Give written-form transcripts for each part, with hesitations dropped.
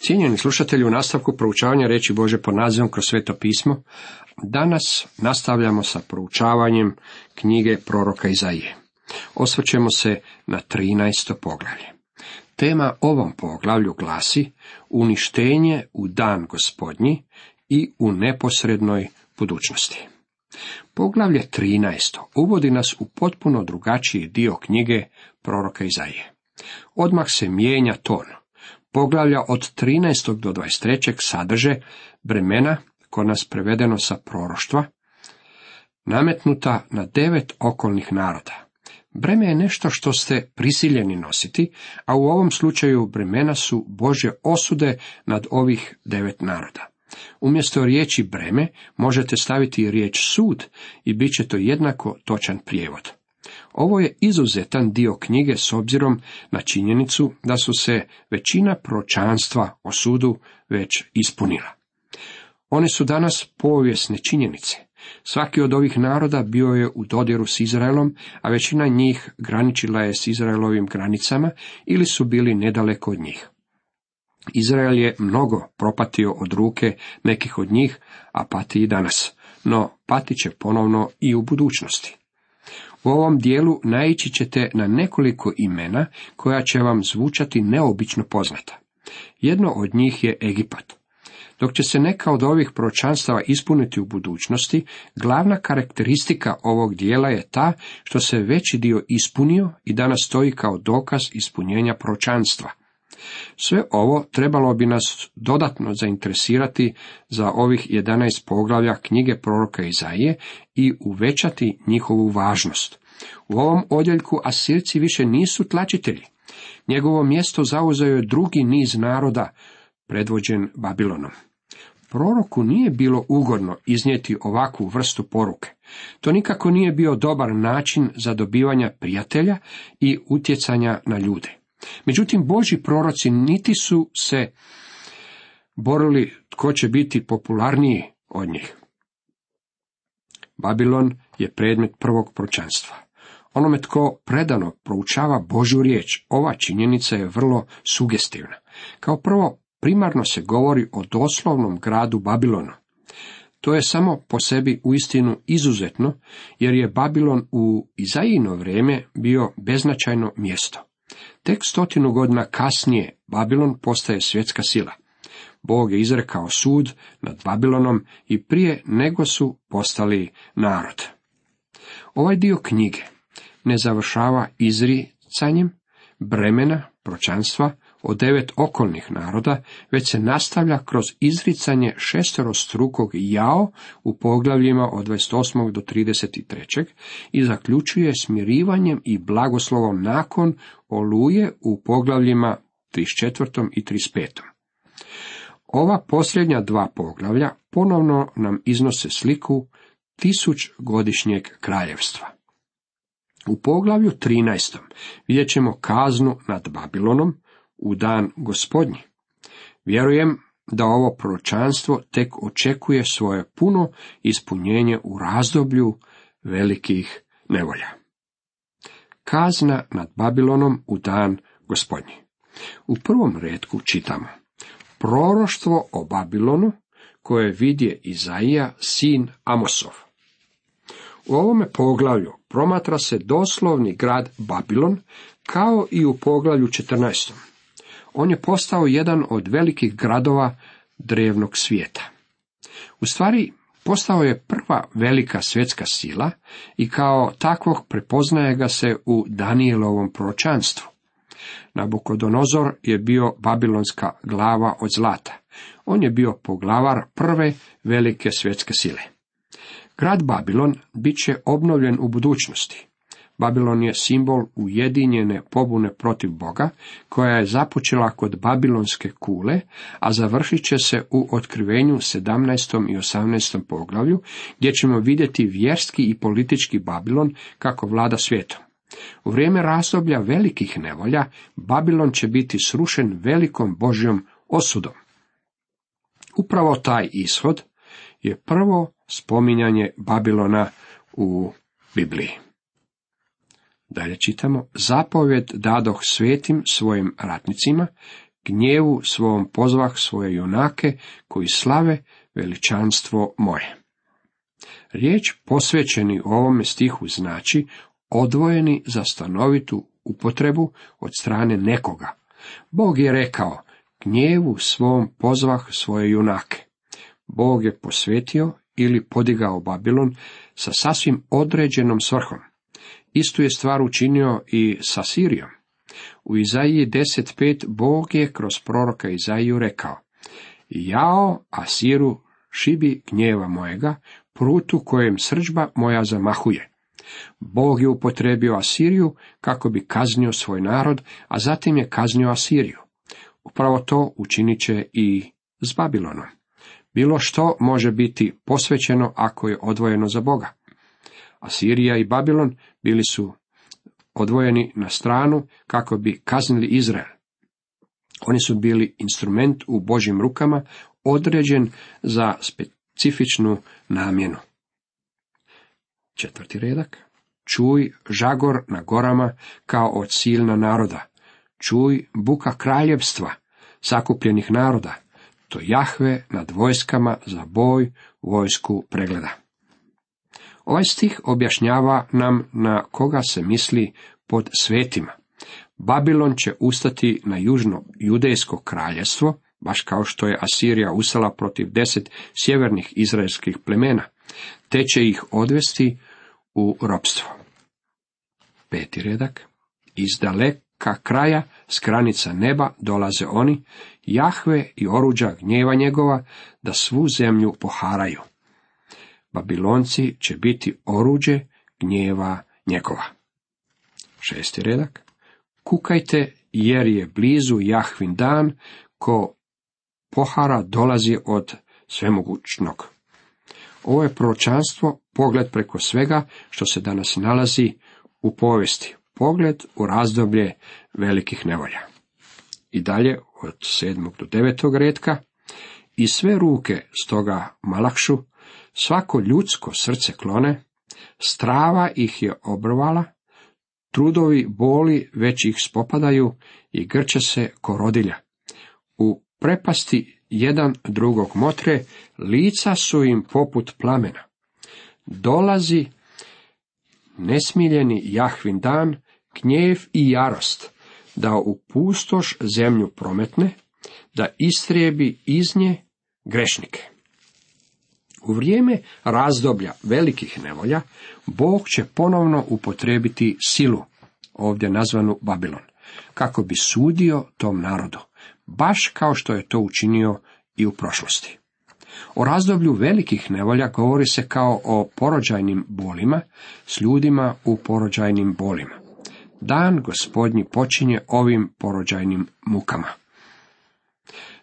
Cijenjeni slušatelji, u nastavku proučavanja riječi Božje pod nazivom Kroz sveto pismo, danas nastavljamo sa proučavanjem knjige proroka Izaije. Osvrćemo se na 13. poglavlje. Tema ovom poglavlju glasi uništenje u dan Gospodnji i u neposrednoj budućnosti. Poglavlje 13. uvodi nas u potpuno drugačiji dio knjige proroka Izaije. Odmah se mijenja ton. Poglavlja od 13. do 23. sadrže bremena, kod nas prevedeno sa proroštva, nametnuta na 9 okolnih naroda. Breme je nešto što ste prisiljeni nositi, a u ovom slučaju bremena su Božje osude nad ovih 9 naroda. Umjesto riječi breme možete staviti riječ sud i bit će to jednako točan prijevod. Ovo je izuzetan dio knjige s obzirom na činjenicu da su se većina proročanstva o sudu već ispunila. One su danas povijesne činjenice. Svaki od ovih naroda bio je u dodiru s Izraelom, a većina njih graničila je s Izraelovim granicama ili su bili nedaleko od njih. Izrael je mnogo propatio od ruke nekih od njih, a pati i danas, no pati će ponovno i u budućnosti. U ovom dijelu naići ćete na nekoliko imena koja će vam zvučati neobično poznata. Jedno od njih je Egipat. Dok će se neka od ovih proročanstava ispuniti u budućnosti, glavna karakteristika ovog dijela je ta što se veći dio ispunio i danas stoji kao dokaz ispunjenja proročanstva. Sve ovo trebalo bi nas dodatno zainteresirati za ovih 11 poglavlja knjige proroka Izaije i uvećati njihovu važnost. U ovom odjeljku Asirci više nisu tlačitelji. Njegovo mjesto zauzeo je drugi niz naroda, predvođen Babilonom. Proroku nije bilo ugodno iznijeti ovakvu vrstu poruke. To nikako nije bio dobar način za dobivanja prijatelja i utjecanja na ljude. Međutim, Božji proroci niti su se borili tko će biti popularniji od njih. Babilon je predmet prvog proročanstva. Onome tko predano proučava Božju riječ, ova činjenica je vrlo sugestivna. Kao prvo, primarno se govori o doslovnom gradu Babilonu. To je samo po sebi uistinu izuzetno, jer je Babilon u Izajino vrijeme bio beznačajno mjesto. Tek 100 godina kasnije Babilon postaje svjetska sila. Bog je izrekao sud nad Babilonom i prije nego su postali narod. Ovaj dio knjige ne završava izricanjem bremena proročanstva o 9 okolnih naroda, već se nastavlja kroz izricanje šesterostrukog jao u poglavljima od 28. do 33. i zaključuje smirivanjem i blagoslovom nakon oluje u poglavljima 34. i 35. Ova posljednja dva poglavlja ponovno nam iznose sliku 1000-godišnjeg kraljevstva. U poglavlju 13. vidjet ćemo kaznu nad Babilonom u dan Gospodnji. Vjerujem da ovo proročanstvo tek očekuje svoje puno ispunjenje u razdoblju velikih nevolja. Kazna nad Babilonom u dan Gospodnji. U prvom retku čitamo: proroštvo o Babilonu koje vidje Izaija, sin Amosov. U ovome poglavlju promatra se doslovni grad Babilon, kao i u poglavlju 14. On je postao jedan od velikih gradova drevnog svijeta. U stvari, postao je prva velika svjetska sila i kao takvog prepoznaje ga se u Danijelovom proročanstvu. Nabukodonozor je bio babilonska glava od zlata. On je bio poglavar prve velike svjetske sile. Grad Babilon bit će obnovljen u budućnosti. Babilon je simbol ujedinjene pobune protiv Boga, koja je započela kod babilonske kule, a završit će se u otkrivenju 17. i 18. poglavlju, gdje ćemo vidjeti vjerski i politički Babilon kako vlada svijetom. U vrijeme razdoblja velikih nevolja, Babilon će biti srušen velikom Božjom osudom. Upravo taj ishod je prvo spominjanje Babilona u Bibliji. Dalje čitamo: zapovjed dadoh svetim svojim ratnicima, gnjevu svom pozvah svoje junake, koji slave veličanstvo moje. Riječ posvećeni u ovome stihu znači odvojeni za stanovitu upotrebu od strane nekoga. Bog je rekao, gnjevu svom pozvah svoje junake. Bog je posvetio ili podigao Babilon sa sasvim određenom svrhom. Istu je stvar učinio i sa Sirijom. U Izaiji 10.5 Bog je kroz proroka Izaiju rekao, jao Asiru, šibi gnjeva mojega, prutu kojem srdžba moja zamahuje. Bog je upotrebio Asiriju kako bi kaznio svoj narod, a zatim je kaznio Asiriju. Upravo to učinit će i s Babilonom. Bilo što može biti posvećeno ako je odvojeno za Boga. Asirija i Babilon bili su odvojeni na stranu kako bi kaznili Izrael. Oni su bili instrument u Božjim rukama, određen za specifičnu namjenu. 4. redak. Čuj žagor na gorama kao od silna naroda. Čuj buka kraljevstva, sakupljenih naroda. To Jahve nad vojskama za boj vojsku pregleda. Ovaj stih objašnjava nam na koga se misli pod svetima. Babilon će ustati na južno judejsko kraljevstvo, baš kao što je Asirija ustala protiv 10 sjevernih izraelskih plemena, te će ih odvesti u ropstvo. 5. redak. Iz daleka kraja, s granica neba dolaze oni, Jahve i oruđa gnjeva njegova, da svu zemlju poharaju. Babilonci će biti oruđe gnjeva njegova. 6. redak. Kukajte, jer je blizu Jahvin dan, ko pohara dolazi od svemogućnog. Ovo je proročanstvo, pogled preko svega što se danas nalazi u povijesti, pogled u razdoblje velikih nevolja. I dalje od 7. do 9. retka, i sve ruke stoga malakšu, svako ljudsko srce klone, strava ih je obrvala, trudovi boli već ih spopadaju i grče se ko rodilja. U prepasti jedan drugog motre, lica su im poput plamena. Dolazi nesmiljeni Jahvin dan, gnjev i jarost, da u pustoš zemlju prometne, da istrijebi iz nje grešnike. U vrijeme razdoblja velikih nevolja, Bog će ponovno upotrijebiti silu, ovdje nazvanu Babilon, kako bi sudio tom narodu, baš kao što je to učinio i u prošlosti. O razdoblju velikih nevolja govori se kao o porođajnim bolima, s ljudima u porođajnim bolima. Dan Gospodnji počinje ovim porođajnim mukama.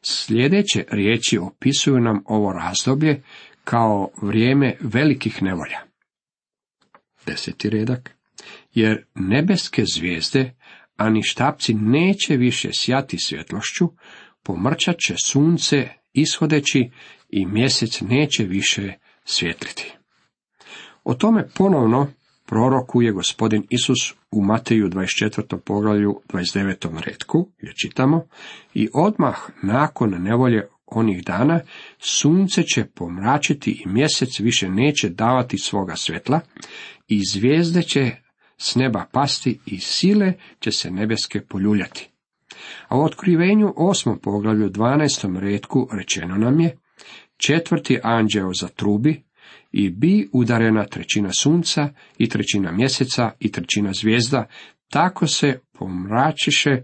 Sljedeće riječi opisuju nam ovo razdoblje kao vrijeme velikih nevolja. 10. redak. Jer nebeske zvijezde, ani štapci neće više sjati svjetlošću, pomrčat će sunce ishodeći i mjesec neće više svjetliti. O tome ponovno prorokuje Gospodin Isus u Mateju 24. poglavlju 29. retku, gdje čitamo, i odmah nakon nevolje onih dana sunce će pomračiti i mjesec više neće davati svoga svjetla i zvijezde će s neba pasti i sile će se nebeske poljuljati. A u Otkrivenju 8. poglavlju 12. retku rečeno nam je, 4. anđeo zatrubi i bi udarena 1/3 sunca i 1/3 mjeseca i 1/3 zvijezda, tako se pomračiše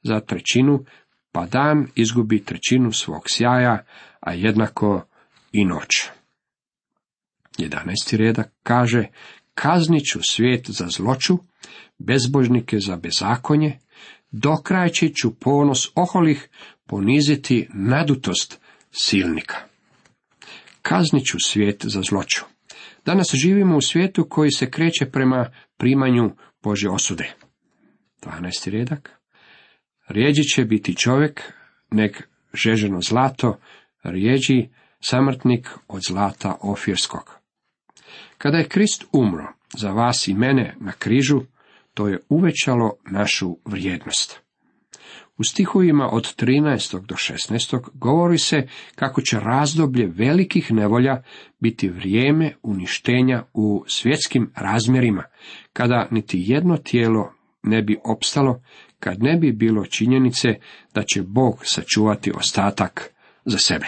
za 1/3, pa dan izgubi 1/3 svog sjaja, a jednako i noć. 11. redak kaže, kaznit ću svijet za zloću, bezbožnike za bezakonje, dokrajči ću ponos oholih, poniziti nadutost silnika. Kaznit ću svijet za zloću. Danas živimo u svijetu koji se kreće prema primanju Božje osude. 12. redak. Rijeđi će biti čovjek, nek žeženo zlato, rijeđi samrtnik od zlata ofirskog. Kada je Krist umro za vas i mene na križu, to je uvećalo našu vrijednost. U stihovima od 13. do 16. govori se kako će razdoblje velikih nevolja biti vrijeme uništenja u svjetskim razmjerima, kada niti jedno tijelo ne bi opstalo, kad ne bi bilo činjenice da će Bog sačuvati ostatak za sebe.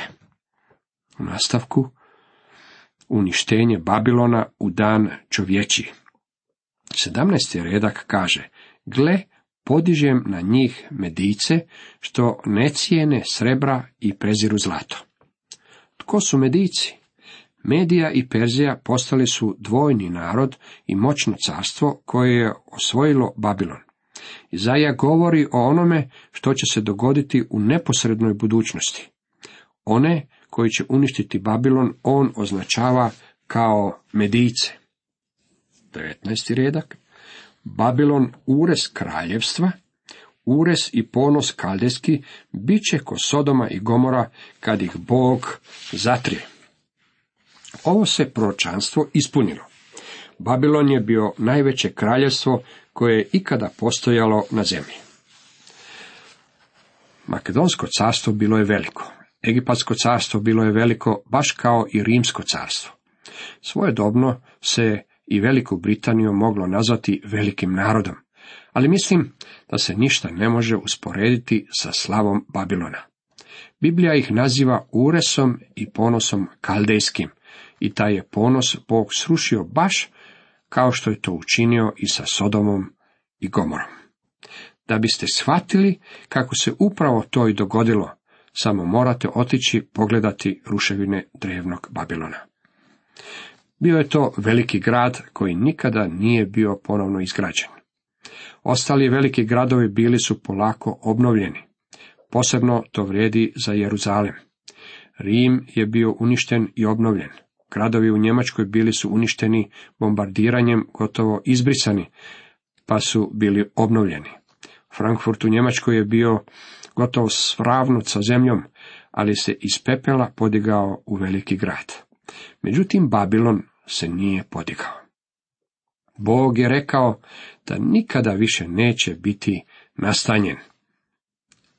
U nastavku, uništenje Babilona u dan čovječiji. 17. redak kaže: gle, podižem na njih Medice, što ne cijene srebra i preziru zlato. Tko su Medici? Medija i Perzija postali su dvojni narod i moćno carstvo koje je osvojilo Babilon. Izaija govori o onome što će se dogoditi u neposrednoj budućnosti. One koji će uništiti Babilon on označava kao Medice. 19. redak. Babilon, ures kraljevstva, ures i ponos kaldejski, bit će ko Sodoma i Gomora kad ih Bog zatrije. Ovo se proročanstvo ispunilo. Babilon je bio najveće kraljevstvo koje je ikada postojalo na zemlji. Makedonsko carstvo bilo je veliko. Egipatsko carstvo bilo je veliko, baš kao i Rimsko carstvo. Svojedobno se i Veliku Britaniju moglo nazvati velikim narodom, ali mislim da se ništa ne može usporediti sa slavom Babilona. Biblija ih naziva uresom i ponosom kaldejskim, i taj je ponos Bog srušio baš kao što je to učinio i sa Sodomom i Gomorom. Da biste shvatili kako se upravo to i dogodilo, samo morate otići pogledati ruševine drevnog Babilona. Bio je to veliki grad koji nikada nije bio ponovno izgrađen. Ostali veliki gradovi bili su polako obnovljeni. Posebno to vrijedi za Jeruzalem. Rim je bio uništen i obnovljen. Gradovi u Njemačkoj bili su uništeni bombardiranjem, gotovo izbrisani, pa su bili obnovljeni. Frankfurt u Njemačkoj je bio gotovo sravnut sa zemljom, ali se iz pepela podigao u veliki grad. Međutim, Babilon se nije podigao. Bog je rekao da nikada više neće biti nastanjen.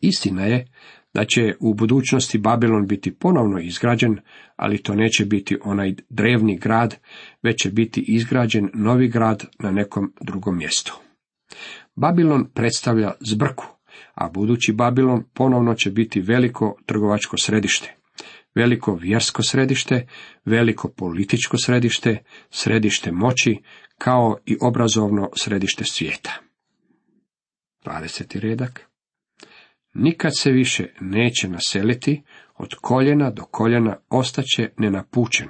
Istina je da će u budućnosti Babilon biti ponovno izgrađen, ali to neće biti onaj drevni grad, već će biti izgrađen novi grad na nekom drugom mjestu. Babilon predstavlja zbrku, a budući Babilon ponovno će biti veliko trgovačko središte, veliko vjersko središte, veliko političko središte, središte moći, kao i obrazovno središte svijeta. 20. redak. Nikad se više neće naseliti, od koljena do koljena ostaće nenapučen.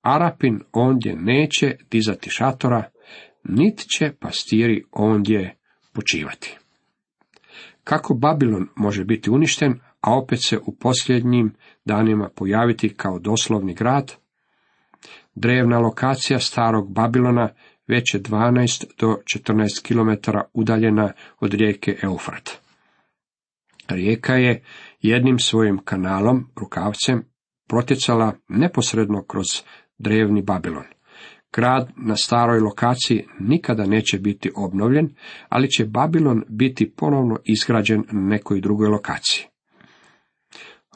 Arapin ondje neće dizati šatora, nit će pastiri ondje počivati. Kako Babilon može biti uništen, a opet se u posljednjim danima pojaviti kao doslovni grad? Drevna lokacija starog Babilona već je 12 do 14 km udaljena od rijeke Eufrat. Rijeka je jednim svojim kanalom, rukavcem, protjecala neposredno kroz drevni Babilon. Grad na staroj lokaciji nikada neće biti obnovljen, ali će Babilon biti ponovno izgrađen na nekoj drugoj lokaciji.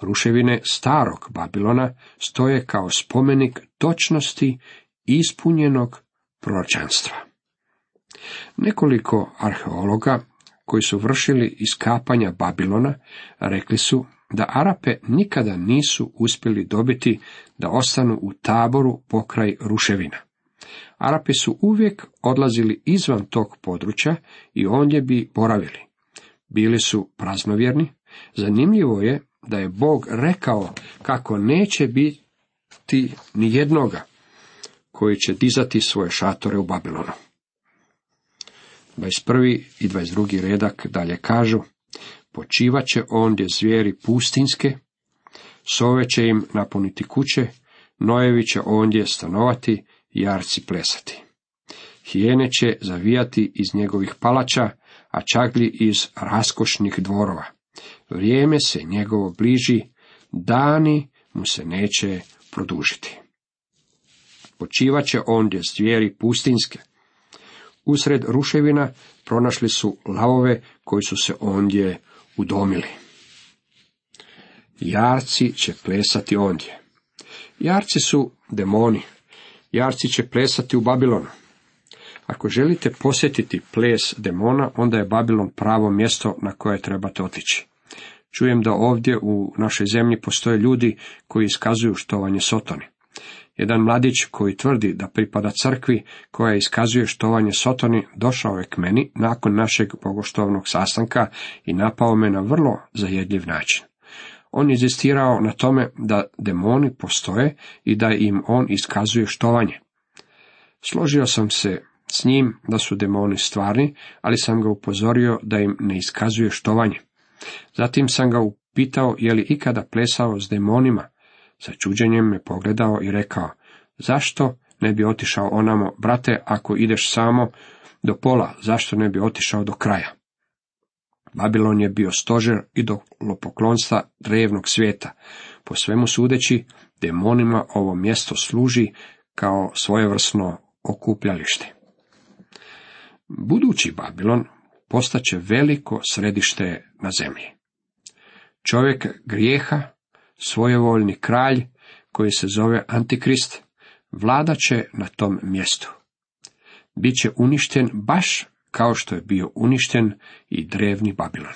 Ruševine starog Babilona stoje kao spomenik točnosti ispunjenog proročanstva. Nekoliko arheologa koji su vršili iskapanja Babilona rekli su da Arape nikada nisu uspjeli dobiti da ostanu u taboru pokraj ruševina. Arapi su uvijek odlazili izvan tog područja i ondje bi boravili. Bili su praznovjerni. Zanimljivo je da je Bog rekao kako neće biti ni jednoga koji će dizati svoje šatore u Babilonu. 21. i 22. redak dalje kažu: počivat će ondje zvijeri pustinske, sove će im napuniti kuće, nojevi će ondje stanovati, jarci plesati. Hijene će zavijati iz njegovih palača, a čaglji iz raskošnih dvorova. Vrijeme se njegovo bliži, dani mu se neće produžiti. Počivat će ondje zvijeri pustinske. Usred ruševina pronašli su lavove koji su se ondje udomili. Jarci će plesati ondje. Jarci su demoni. Jarci će plesati u Babilonu. Ako želite posjetiti ples demona, onda je Babilon pravo mjesto na koje trebate otići. Čujem da ovdje u našoj zemlji postoje ljudi koji iskazuju štovanje Sotoni. Jedan mladić koji tvrdi da pripada crkvi koja iskazuje štovanje Sotoni došao je k meni nakon našeg bogoštovnog sastanka i napao me na vrlo zajedljiv način. On je inzistirao na tome da demoni postoje i da im on iskazuje štovanje. Složio sam se s njim da su demoni stvarni, ali sam ga upozorio da im ne iskazuje štovanje. Zatim sam ga upitao je li ikada plesao s demonima. Sa čuđenjem me pogledao i rekao: zašto ne bi otišao onamo, brate, ako ideš samo do pola, zašto ne bi otišao do kraja? Babilon je bio stožer idolopoklonstva drevnog svijeta. Po svemu sudeći, demonima ovo mjesto služi kao svojevrsno okupljalište. Budući Babilon postaće veliko središte na zemlji. Čovjek grijeha, svojevoljni kralj koji se zove Antikrist, vladat će na tom mjestu. Biće uništen baš kao što je bio uništen i drevni Babilon.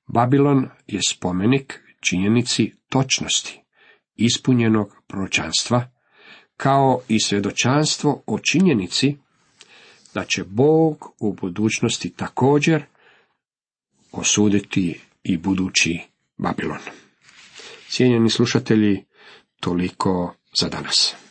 Babilon je spomenik činjenici točnosti, ispunjenog proročanstva, kao i svjedočanstvo o činjenici da će Bog u budućnosti također osuditi i budući Babilon. Cijenjeni slušatelji, toliko za danas.